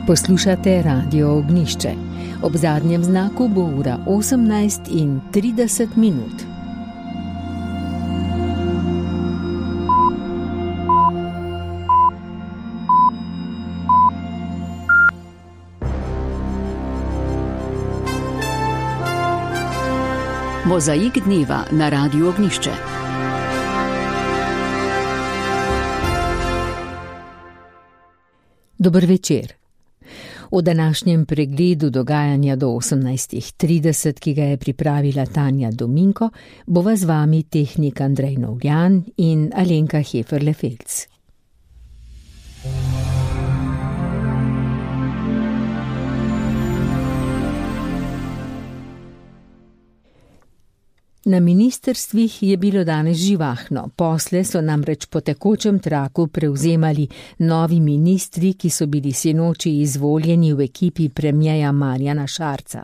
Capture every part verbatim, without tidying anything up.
Poslušate Radio Ognjišče. Ob zadnjem znaku bo ura osemnajst in trideset minut. Mozaik dneva na Radiu Ognjišče. Dober večer. V današnjem pregledu dogajanja do osemnajst trideset, ki ga je pripravila Tanja Dominko, bova z vami tehnik Andrej Novljan in Alenka Heferle-Felc. Na ministrstvih je bilo danes živahno, posle so namreč po tekočem traku prevzemali novi ministri, ki so bili sinoči izvoljeni v ekipi premierja Marjana Šarca.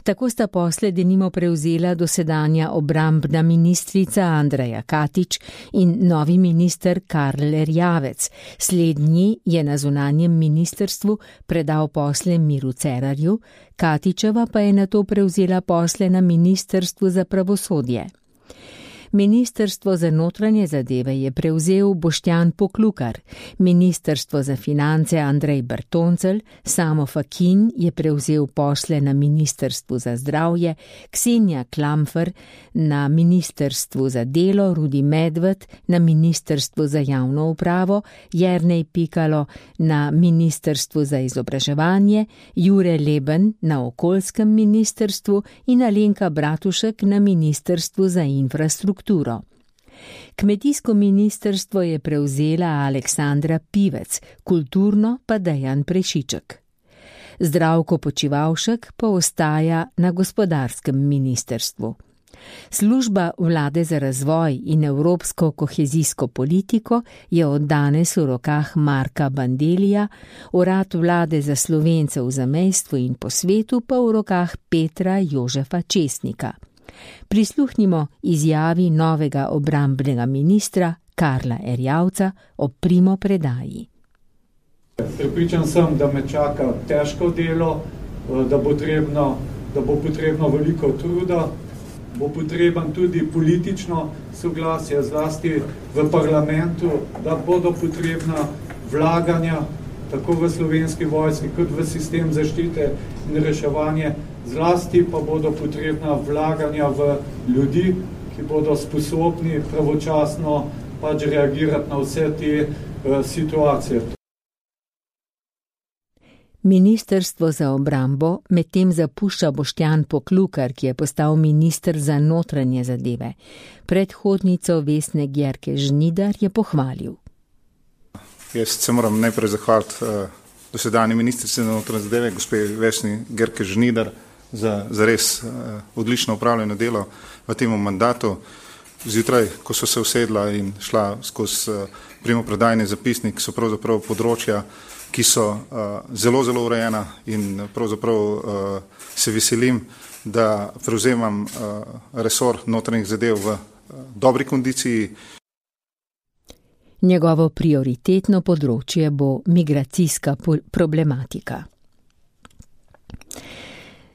Tako sta posle denimo prevzela dosedanja obrambna ministrica Andreja Katič in novi minister Karl Erjavec. Slednji je na zunanjem ministrstvu predal posle Miru Cerarju, Katičeva pa je nato prevzela posle na ministrstvu za pravosodje. Ministrstvo za notranje zadeve je prevzel Boštjan Poklukar, ministrstvo za finance Andrej Bertoncelj, Samo Fakin je prevzel posle na ministrstvu za zdravje, Ksenija Klamfer na ministrstvu za delo, Rudi Medved na ministrstvu za javno upravo, Jernej Pikalo na ministrstvu za izobraževanje, Jure Leben na okoljskem ministrstvu in Alenka Bratušek na ministrstvu za infrastrukturo. Kmetijsko ministrstvo je prevzela Aleksandra Pivec, kulturno pa Dejan Prešiček. Zdravko Počivalšek pa ostaja na gospodarskem ministrstvu. Služba vlade za razvoj in evropsko kohezijsko politiko je od danes v rokah Marka Bandelija, urad vlade za Slovence v zamejstvu in po svetu pa v rokah Petra Jožefa Česnika. Prisluhnimo izjavi novega obrambnega ministra Karla Erjavca o primopredaji. Prepričan sem, da me čaka težko delo, da bo potrebno, da bo potrebno veliko truda, bo potreben tudi politično soglasje, zlasti v parlamentu, da bodo potrebna vlaganja tako v Slovenski vojski kot v sistem zaščite in reševanje, zlasti pa bodo potrebna vlaganja v ljudi, ki bodo sposobni pravočasno pač reagirati na vse te uh, situacije. Ministrstvo za obrambo medtem zapušča Boštjan Poklukar, ki je postal minister za notranje zadeve. Predhodnico Vesne Györke Žnidar je pohvalil. Jaz se moram najprej zahvaliti uh, dosedanji ministrici za notranje zadeve, gospe Vesni Györke Žnidar, za, za res uh, odlično upravljeno delo v tem mandatu. Zjutraj, ko so se usedla in šla skozi uh, primopredajni zapisnik, so pravzaprav področja, ki so uh, zelo, zelo urejena in pravzaprav uh, se veselim, da prevzemam uh, resor notranjih zadev v uh, dobri kondiciji. Njegovo prioritetno področje bo migracijska problematika.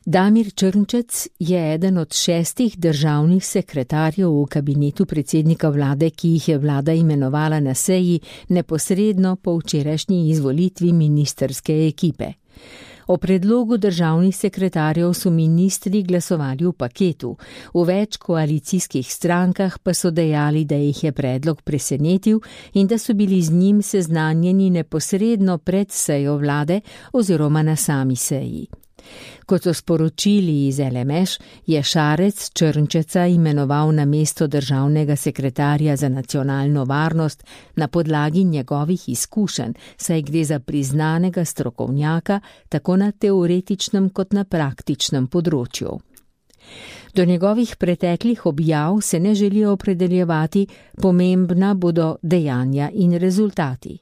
Damir Črnčec je eden od šestih državnih sekretarjev v kabinetu predsednika vlade, ki jih je vlada imenovala na seji neposredno po včerajšnji izvolitvi ministrske ekipe. O predlogu državnih sekretarjev so ministri glasovali v paketu, v več koalicijskih strankah pa so dejali, da jih je predlog presenetil in da so bili z njim seznanjeni neposredno pred sejo vlade oziroma na sami seji. Kot so sporočili iz L M Š, je Šarec Črnčeca imenoval na mesto državnega sekretarja za nacionalno varnost na podlagi njegovih izkušenj, saj gre za priznanega strokovnjaka tako na teoretičnem kot na praktičnem področju. Do njegovih preteklih objav se ne želijo opredeljevati, pomembna bodo dejanja in rezultati.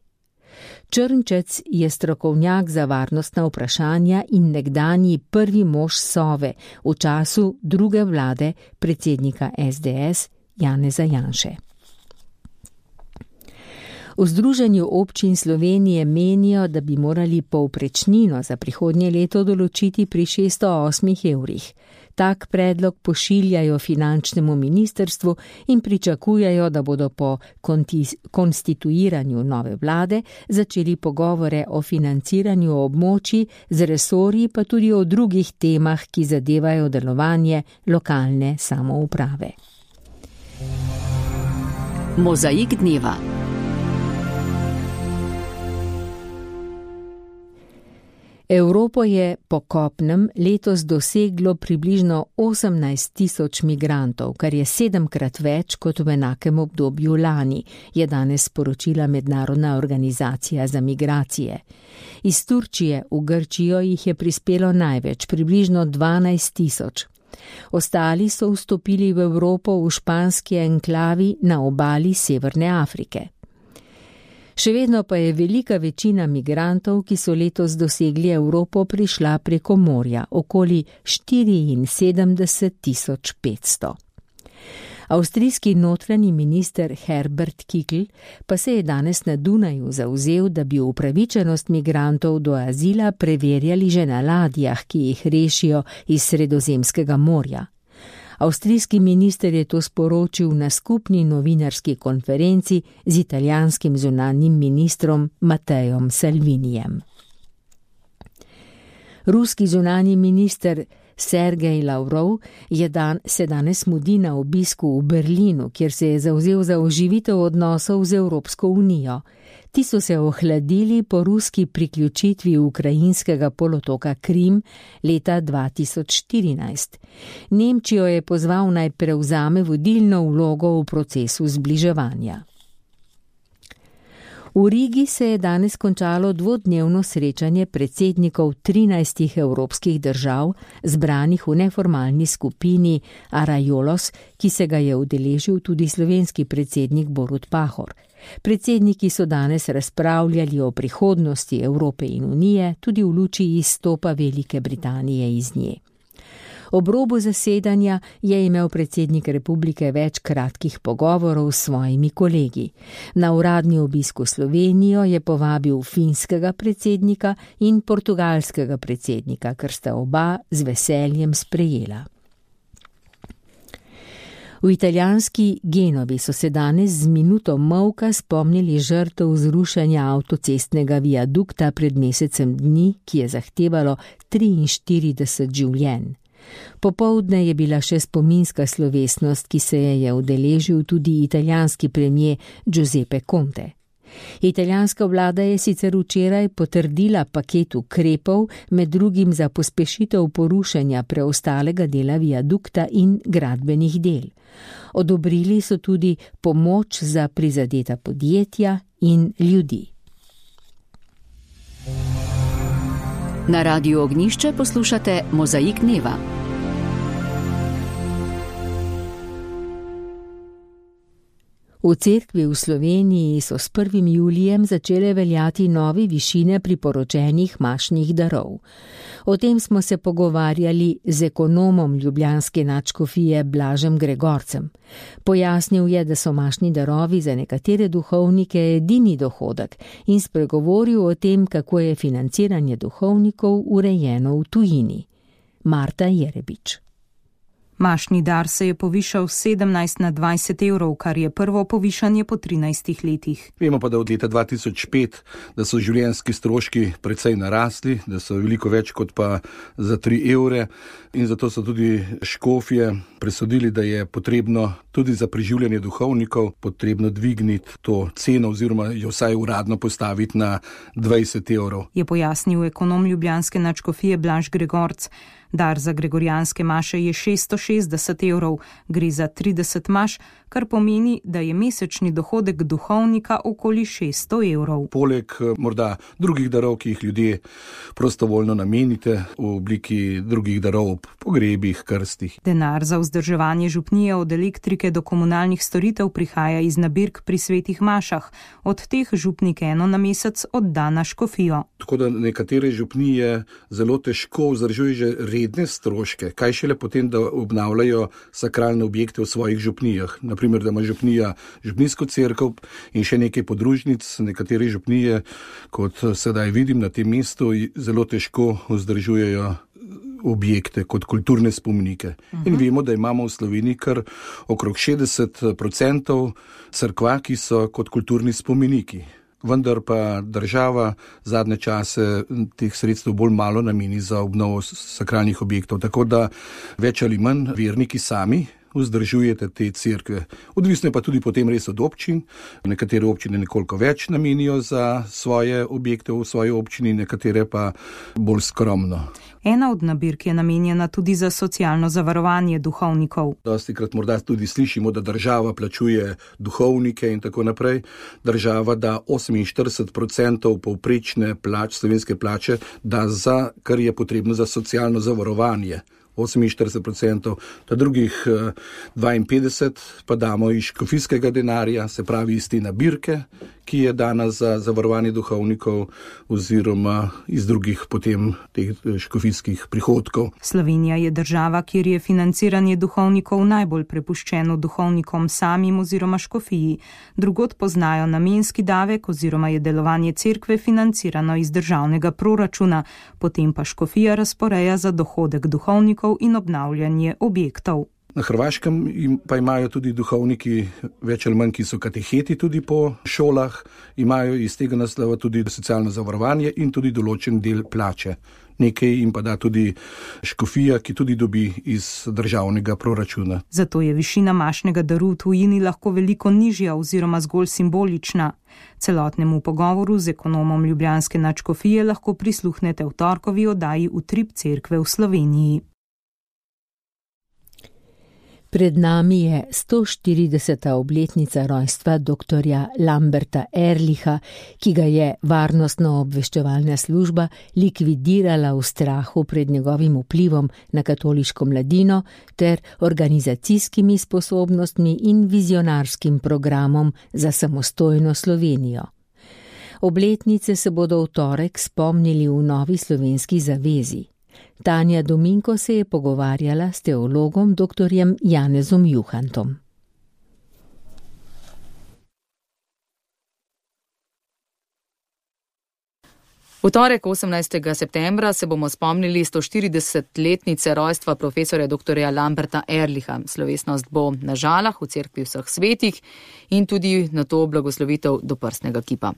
Črnčec je strokovnjak za varnostna vprašanja in nekdanji prvi mož Sove v času druge vlade predsednika S D S Janeza Janše. V Združenju občin Slovenije menijo, da bi morali povprečnino za prihodnje leto določiti pri šeststo osmih evrih. Tak predlog pošiljajo finančnemu ministrstvu in pričakujejo, da bodo po konstituiranju nove vlade začeli pogovore o financiranju območij z resorji, pa tudi o drugih temah, ki zadevajo delovanje lokalne samouprave. Mozaik dneva. Evropo je po kopnem letos doseglo približno osemnajst tisoč migrantov, kar je sedemkrat več kot v enakem obdobju lani, je danes sporočila Mednarodna organizacija za migracije. Iz Turčije v Grčijo jih je prispelo največ, približno dvanajst tisoč. Ostali so vstopili v Evropo v španski enklavi na obali Severne Afrike. Še vedno pa je velika večina migrantov, ki so letos dosegli Evropo, prišla preko morja, okoli štiriinsedemdeset tisoč petsto. Avstrijski notranji minister Herbert Kickl pa se je danes na Dunaju zavzel, da bi upravičenost migrantov do azila preverjali že na ladjah, ki jih rešijo iz Sredozemskega morja. Avstrijski minister je to sporočil na skupni novinarski konferenci z italijanskim zunanjim ministrom Matteom Salvinijem. Ruski zunanji minister Sergej Lavrov je dan, se danes mudi na obisku v Berlinu, kjer se je zavzel za oživitev odnosov z Evropsko unijo. Ti so se ohladili po ruski priključitvi ukrajinskega polotoka Krim leta dva tisoč štirinajst. Nemčijo je pozval naj prevzame vodilno vlogo v procesu zbliževanja. V Rigi se je danes končalo dvodnevno srečanje predsednikov trinajstih evropskih držav, zbranih v neformalni skupini Arajolos, ki se ga je udeležil tudi slovenski predsednik Borut Pahor. Predsedniki so danes razpravljali o prihodnosti Evrope in Unije, tudi v luči izstopa Velike Britanije iz nje. Ob robu zasedanja je imel predsednik republike več kratkih pogovorov s svojimi kolegi. Na uradni obisk v Slovenijo je povabil finskega predsednika in portugalskega predsednika, kar sta oba z veseljem sprejela. V italijanski Genovi so se danes z minuto molka spomnili žrtev zrušenja avtocestnega viadukta pred mesecem dni, ki je zahtevalo triinštirideset življenj. Popoldne je bila še spominska slovesnost, ki se je udeležil tudi italijanski premier Giuseppe Conte. Italijanska vlada je sicer včeraj potrdila paket ukrepov, med drugim za pospešitev porušenja preostalega dela viadukta in gradbenih del. Odobrili so tudi pomoč za prizadeta podjetja in ljudi. Na Radiu Ognjišče poslušate Mozaik dneva. V cerkvi v Sloveniji so s prvim julijem začele veljati nove višine priporočenih mašnih darov. O tem smo se pogovarjali z ekonomom ljubljanske nadškofije Blažem Gregorcem. Pojasnil je, da so mašni darovi za nekatere duhovnike edini dohodek in spregovoril o tem, kako je financiranje duhovnikov urejeno v tujini. Marta Jerebič. Mašni dar se je povišal sedemnajst na dvajset evrov, kar je prvo povišanje po trinajstih letih. Vemo pa, da od leta dva tisoč pet, da so življenjski stroški precej narasli, da so veliko več kot pa za tri evre in zato so tudi škofje presodili, da je potrebno tudi za preživljanje duhovnikov potrebno dvigniti to ceno oziroma jo vsaj uradno postaviti na dvajset evrov. Je pojasnil ekonom ljubljanske nadškofije Blaž Gregorc. Dar za gregorijanske maše je šeststo šestdeset evrov, gre za trideset maš, kar pomeni, da je mesečni dohodek duhovnika okoli šeststo evrov. Poleg morda drugih darov, ki jih ljudje prostovoljno namenite v obliki drugih darov ob pogrebih, krstih. Denar za vzdrževanje župnije od elektrike do komunalnih storitev prihaja iz nabirk pri svetih mašah. Od teh župnik eno na mesec odda na škofijo. Tako da nekatere župnije zelo težko vzdržujejo že redne stroške, kaj šele potem, da ob obnavljajo sakralne objekte v svojih župnijah. Naprimer, da ima župnija župnijsko cerkev in še nekaj podružnic. Nekatere župnije, kot sedaj vidim na tem mestu, zelo težko vzdržujejo objekte kot kulturne spomenike. Uh-huh. In vemo, da imamo v Sloveniji kar okrog šestdeset procentov cerkva, ki so kot kulturni spomeniki. Vendar pa država zadnje čase teh sredstev bolj malo nameni za obnovo sakralnih objektov, tako da več ali manj verniki sami vzdržujete te cerkve. Odvisno je pa tudi potem res od občin. Nekatere občine nekoliko več namenijo za svoje objekte v svoji občini, nekatere pa bolj skromno. Ena od nabirk je namenjena tudi za socialno zavarovanje duhovnikov. Dostikrat morda tudi slišimo, da država plačuje duhovnike in tako naprej. Država da oseminštirideset procentov povprečne plač, slovenske plače, da za, kar je potrebno za socialno zavarovanje. oseminštirideset procentov, ta drugih dvainpetdeset pa damo iz škofijskega denarja, se pravi iz te nabirke, ki je dana za zavarovanje duhovnikov oziroma iz drugih potem teh škofijskih prihodkov. Slovenija je država, kjer je financiranje duhovnikov najbolj prepuščeno duhovnikom samim oziroma škofiji. Drugod poznajo namenski davek oziroma je delovanje cerkve financirano iz državnega proračuna, potem pa škofija razporeja za dohodek duhovnikov in obnavljanje objektov. Na Hrvaškem pa imajo tudi duhovniki več ali manj, ki so kateheti tudi po šolah, imajo iz tega naslova tudi socialno zavarovanje in tudi določen del plače. Nekaj jim pa da tudi škofija, ki tudi dobi iz državnega proračuna. Zato je višina mašnega daru v tujini lahko veliko nižja oziroma zgolj simbolična. Celotnemu pogovoru z ekonomom ljubljanske nadškofije lahko prisluhnete v torkovi oddaji Utrip cerkve v Sloveniji. Pred nami je sto štirideseta obletnica rojstva doktorja Lamberta Ehrlicha, ki ga je varnostno-obveščevalna služba likvidirala v strahu pred njegovim vplivom na katoliško mladino ter organizacijskimi sposobnostmi in vizionarskim programom za samostojno Slovenijo. Obletnice se bodo v torek spomnili v Novi slovenski zavezi. Tanja Dominko se je pogovarjala s teologom doktorjem Janezom Juhantom. V torek osemnajstega septembra se bomo spomnili sto štiridesetletnice rojstva profesorja doktorja Lamberta Ehrlicha. Slovesnost bo na Žalah v cerkvi vseh svetih in tudi na to blagoslovitev doprsnega kipa.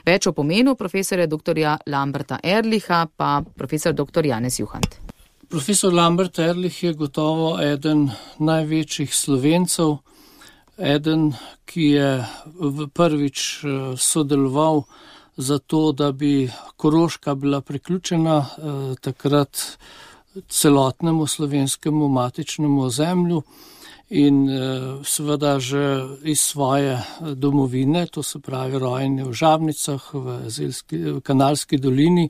Več o pomenu profesorja doktorja Lamberta Ehrlicha pa profesor doktor Janez Juhant. Profesor Lambert Ehrlich je gotovo eden največjih Slovencev, eden, ki je prvič sodeloval zato, da bi Koroška bila priključena eh, takrat celotnemu slovenskemu matičnemu ozemlju in eh, seveda že iz svoje domovine, to se pravi rojeni v Žabnicah, v, Zelski, v Kanalski dolini,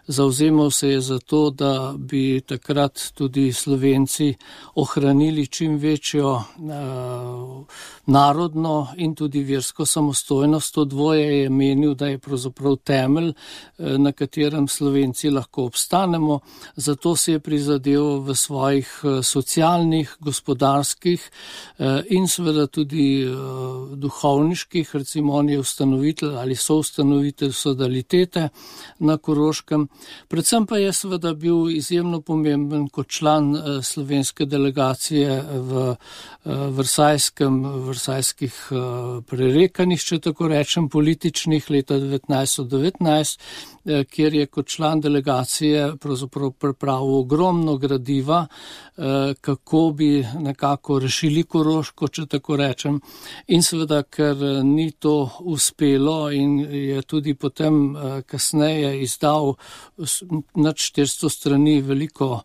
zavzemal se je za to, da bi takrat tudi Slovenci ohranili čim večjo eh, narodno in tudi versko samostojnost. To dvoje je menil, da je pravzaprav temelj, eh, na katerem Slovenci lahko obstanemo. Zato se je prizadeval v svojih eh, socialnih, gospodarskih eh, in seveda tudi eh, duhovniških, recimo on je ustanovitelj ali soustanovitelj Sodalitete na Koroškem. Predvsem pa je seveda bil izjemno pomemben kot član uh, slovenske delegacije v uh, Versajskem, Versajskih uh, prerekanjih, če tako rečem, političnih leta devetnajststo devetnajst, uh, kjer je kot član delegacije pravzaprav pripravil ogromno gradiva, uh, kako bi nekako rešili Koroško, če tako rečem. In seveda, ker ni to uspelo in je tudi potem uh, kasneje izdal nad štiristo strani veliko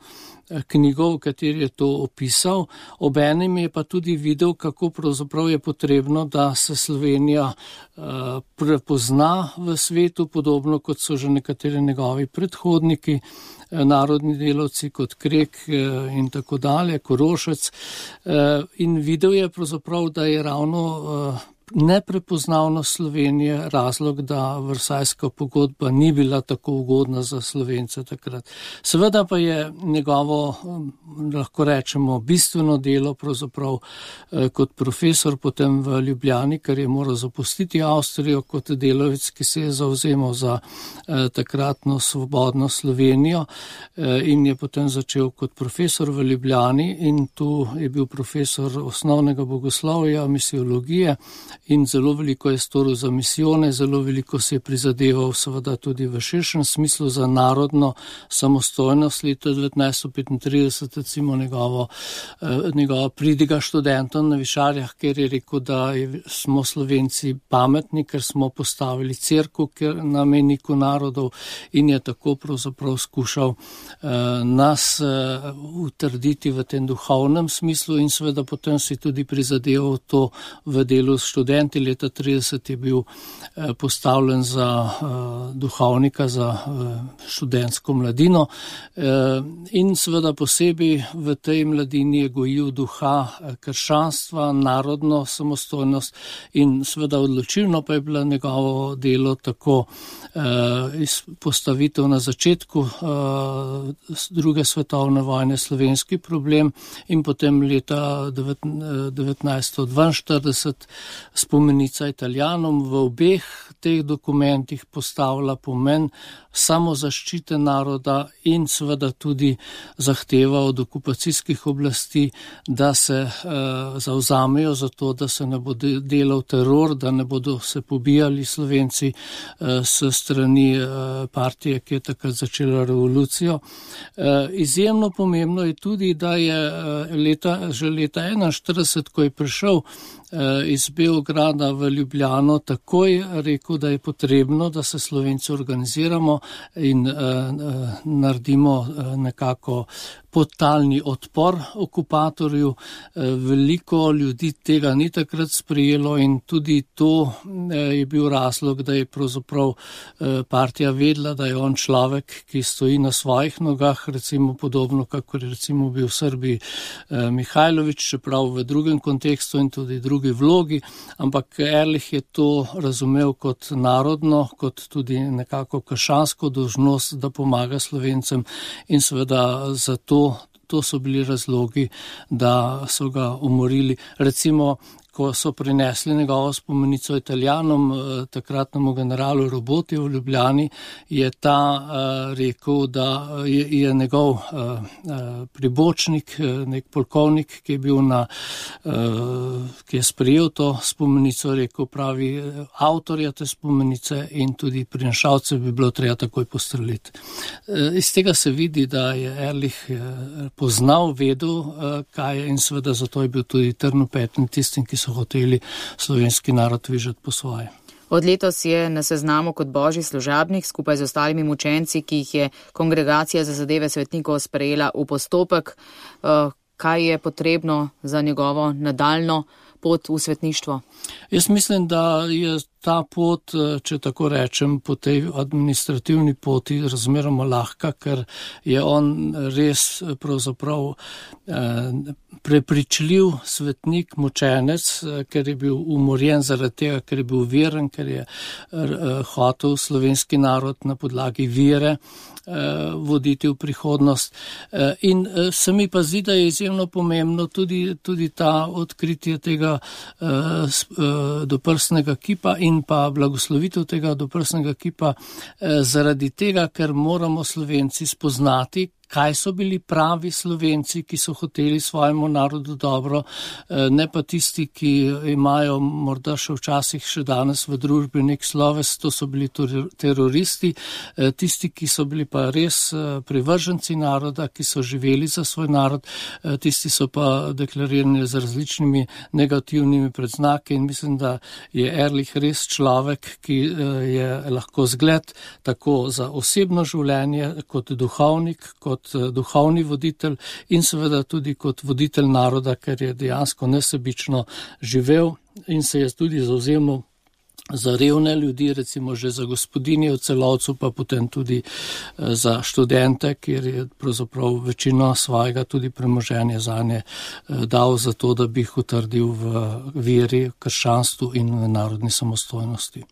knjigov, v kateri je to opisal. Obenem je pa tudi videl, kako pravzaprav je potrebno, da se Slovenija uh, prepozna v svetu, podobno kot so že nekateri njegovi predhodniki, narodni delavci kot Krek in tako dalje, Korošec. In videl je pravzaprav, da je ravno neprepoznavnost Slovenije razlog, da Versajska pogodba ni bila tako ugodna za Slovence takrat. Seveda pa je njegovo, lahko rečemo, bistveno delo pravzaprav kot profesor potem v Ljubljani, ker je moral zapustiti Avstrijo kot delavec, ki se je zavzemal za takratno svobodno Slovenijo in je potem začel kot profesor v Ljubljani in tu je bil profesor osnovnega bogoslovja, misiologije in zelo veliko je storil za misijone, zelo veliko se je prizadeval seveda tudi v širšem smislu za narodno samostojnost. Leta devetnajststo petintrideset recimo njegovo, njegova pridiga študentom na Višarjah, ker je rekel, da smo Slovenci pametni, ker smo postavili cerkev na mejniku narodov in je tako pravzaprav skušal nas utrditi v tem duhovnem smislu in seveda potem si tudi prizadeval to v delu s študenti. Leta trideset je bil postavljen za duhovnika, za študentsko mladino in seveda posebej v tej mladini je gojil duha krščanstva, narodno samostojnost in seveda odločilno pa je bilo njegovo delo tako postavitev na začetku druge svetovne vojne slovenski problem in potem leta devetnajststo dvainštirideset spomenica Italijanom. V obeh teh dokumentih postavlja pomen samozaščite naroda in seveda tudi zahteva od okupacijskih oblasti, da se uh, zavzamejo za to, da se ne bo delal teror, da ne bodo se pobijali Slovenci uh, s strani uh, partije, ki je takrat začela revolucijo. Uh, izjemno pomembno je tudi, da je uh, leta, že leta enainštirideset, ko je prišel iz Beograda v Ljubljano, takoj rekel, da je potrebno, da se Slovenci organiziramo in uh, naredimo uh, nekako podtalni odpor okupatorju. Veliko ljudi tega ni takrat sprejelo in tudi to je bil razlog, da je pravzaprav partija vedela, da je on človek, ki stoji na svojih nogah, recimo podobno, kako je recimo bil v Srbiji Mihajlović, čeprav v drugem kontekstu in tudi drugi vlogi, ampak Ehrlich je to razumel kot narodno, kot tudi nekako krščansko dolžnost, da pomaga Slovencem in seveda zato To so bili razlogi, da so ga umorili. Recimo, ko so prinesli njegovo spomenico Italijanom, takratnemu generalu Roboti v Ljubljani, je ta uh, rekel, da je, je njegov uh, uh, pribočnik, nek polkovnik, ki je bil na, uh, ki je sprejel to spomenico, rekel, pravi, avtorja te spomenice in tudi prinašalce bi bilo treba takoj postreliti. Uh, iz tega se vidi, da je Ehrlich uh, poznal, vedel, uh, kaj je in seveda zato je bil tudi trnopeten tistim, ki so hoteli slovenski narod vižati po svoje. Od letos je na seznamu kot božji služabnik skupaj z ostalimi mučenci, ki jih je Kongregacija za zadeve svetnikov sprejela v postopek. Kaj je potrebno za njegovo nadaljno pot v svetništvo? Jaz mislim, da je ta pot, če tako rečem, po tej administrativni poti razmeroma lahka, ker je on res pravzaprav prepričljiv svetnik, mučenec, ker je bil umorjen zaradi tega, ker je bil veren, ker je hotel slovenski narod na podlagi vere voditi v prihodnost. In se mi pa zdi, da je izjemno pomembno tudi, tudi ta odkritje tega doprsnega kipa in pa blagoslovitev tega doprsnega kipa zaradi tega, ker moramo Slovenci spoznati, kaj so bili pravi Slovenci, ki so hoteli svojemu narodu dobro, ne pa tisti, ki imajo morda še včasih še danes v družbi nek sloves, to so bili teroristi, tisti, ki so bili pa res privrženci naroda, ki so živeli za svoj narod, tisti so pa deklarirani z različnimi negativnimi predznaki in mislim, da je Ehrlich res človek, ki je lahko zgled tako za osebno življenje, kot duhovnik, kot duhovni voditelj in seveda tudi kot voditelj naroda, ker je dejansko nesebično živel in se je tudi zavzemal za revne ljudi, recimo že za gospodinje v Celovcu, pa potem tudi za študente, kjer je pravzaprav večino svojega tudi premoženja zanje dal za to, da bi jih utrdil v veri, krščanstvu in v narodni samostojnosti.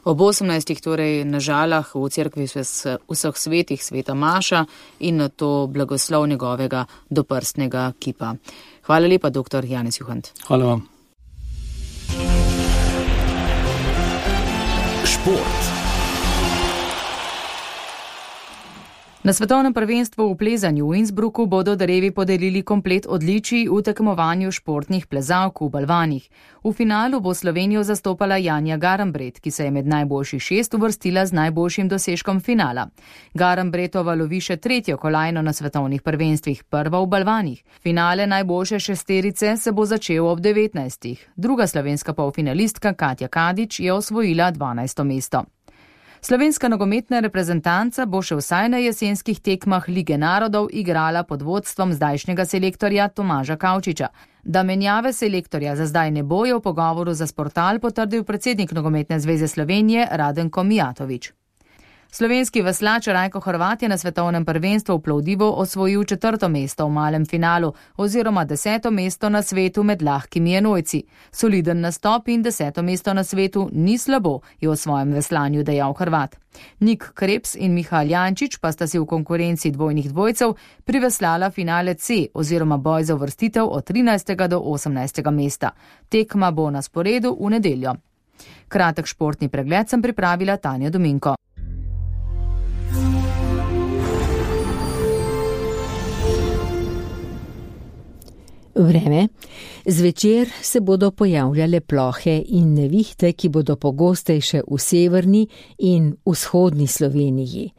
Ob osemnajstih torej na Žalah v cerkvi vseh svetih sveta Maša in na to blagoslov njegovega doprstnega kipa. Hvala lepa, doktor Janez Juhant. Hvala vam. Šport. Na svetovnem prvenstvu v plezanju v Innsbrucku bodo darevi podelili komplet odličij v tekmovanju športnih plezalk v balvanih. V finalu bo Slovenijo zastopala Janja Garambret, ki se je med najboljših šest uvrstila z najboljšim dosežkom finala. Garambretova lovi še tretjo kolajno na svetovnih prvenstvih, prva v balvanih. Finale najboljše šesterice se bo začel ob devetnajstih. Druga slovenska polfinalistka Katja Kadič je osvojila dvanajsto mesto. Slovenska nogometna reprezentanca bo še vsaj na jesenskih tekmah Lige narodov igrala pod vodstvom zdajšnjega selektorja Tomaža Kavčiča. Da menjave selektorja za zdaj ne bo, je v pogovoru za Sportal potrdil predsednik Nogometne zveze Slovenije Radenko Mijatović. Slovenski veslač Rajko Horvat je na svetovnem prvenstvu v Plovdivu osvojil četrto mesto v malem finalu oziroma deseto mesto na svetu med lahkimi enojci. Soliden nastop in deseto mesto na svetu ni slabo, je v svojem veslanju dejal Horvat. Nik Krebs in Mihael Jančič pa sta si v konkurenci dvojnih dvojcev priveslala finale C oziroma boj za uvrstitev od trinajstega do osemnajstega mesta. Tekma bo na sporedu v nedeljo. Kratek športni pregled sem pripravila Tanja Dominko. Vreme. Zvečer se bodo pojavljale plohe in nevihte, ki bodo pogostejše v severni in vzhodni Sloveniji.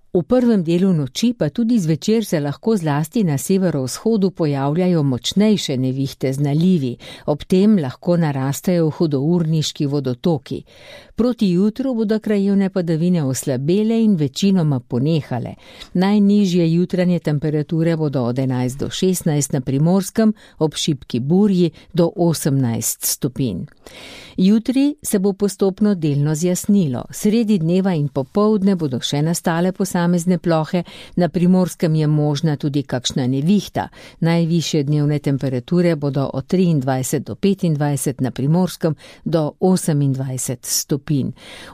V prvem delu noči pa tudi zvečer se lahko zlasti na severovzhodu pojavljajo močnejše nevihte z nalivi, ob tem lahko narastajo hudourniški vodotoki. Proti jutru bodo krajevne padavine oslabele in večinoma ponehale. Najnižje jutranje temperature bodo od enajst do šestnajst na Primorskem, ob šibki burji do osemnajst stopinj. Jutri se bo postopno delno zjasnilo. Sredi dneva in popoldne bodo še nastale posamezne plohe, na Primorskem je možna tudi kakšna nevihta. Najvišje dnevne temperature bodo od triindvajset do petindvajset, na Primorskem do osemindvajset stopinj.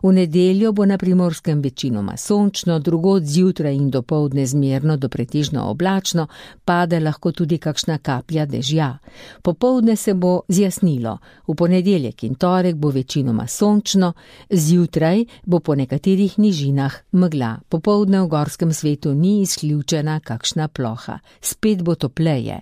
V nedeljo bo na Primorskem večinoma sončno, drugod zjutraj in dopoldne zmerno do pretežno oblačno, pade lahko tudi kakšna kaplja dežja. Popoldne se bo zjasnilo. V ponedeljek in torek bo večinoma sončno, zjutraj bo po nekaterih nižinah megla. Popoldne v gorskem svetu ni izključena kakšna ploha. Spet bo topleje.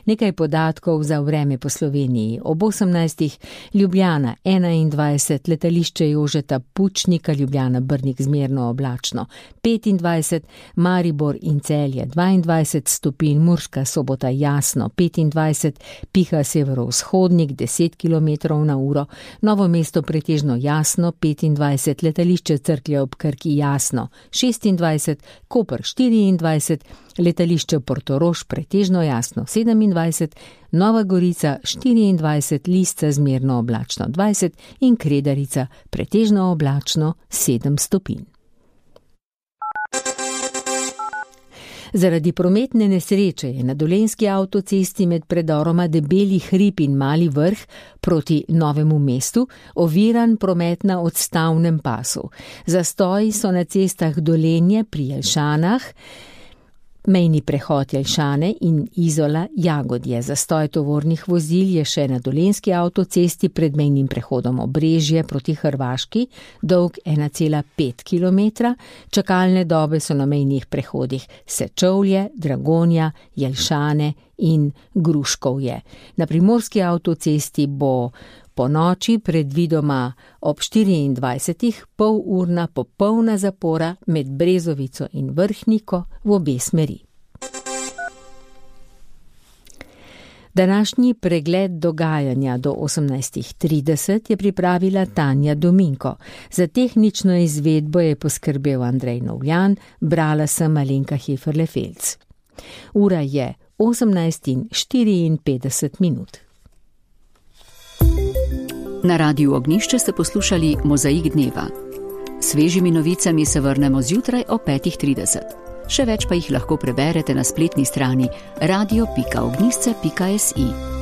Nekaj podatkov za vreme po Sloveniji. Ob osemnajstih Ljubljana enaindvajset, letališče Jožeta Pučnika, Ljubljana Brnik zmerno oblačno petindvajset, Maribor in Celje dvaindvajset stopinj, Murska Sobota jasno petindvajset, piha severovzhodnik deset kilometrov na uro, Novo mesto pretežno jasno petindvajset, letališče Cerklje ob Krki jasno šestindvajset, Koper štiriindvajset, letališče Portorož pretežno jasno sedemindvajset, Nova Gorica štiriindvajset, Lisca zmerno oblačno dvajset in Kredarica pretežno oblačno sedem stopinj. Zaradi prometne nesreče je na dolenjski avtocesti med predoroma Debeli hrib in Mali vrh proti Novemu mestu oviran promet na odstavnem pasu. Zastoji so na cestah Dolenje pri Jelšanah, mejni prehod Jelšane in Izola Jagodje. Zastoj tovornih vozil je še na dolenjski avtocesti pred mejnim prehodom Obrežje proti Hrvaški, dolg ena cela pet kilometra. Čakalne dobe so na mejnih prehodih Sečovlje, Dragonja, Jelšane in Gruškovje. Na primorski avtocesti bo po noči predvidoma ob štiriindvajsetih polurna popolna zapora med Brezovico in Vrhniko v obe smeri. Današnji pregled dogajanja do osemnajst trideset je pripravila Tanja Dominko. Za tehnično izvedbo je poskrbel Andrej Novljan, brala sem Alenka Heferle-Felc. Ura je osemnajst in štiriinpetdeset minut. Na Radiu Ognjišče ste poslušali Mozaik dneva. Svežimi novicami se vrnemo zjutraj o petih trideset. Še več pa jih lahko preberete na spletni strani radio pika ognjišče pika si.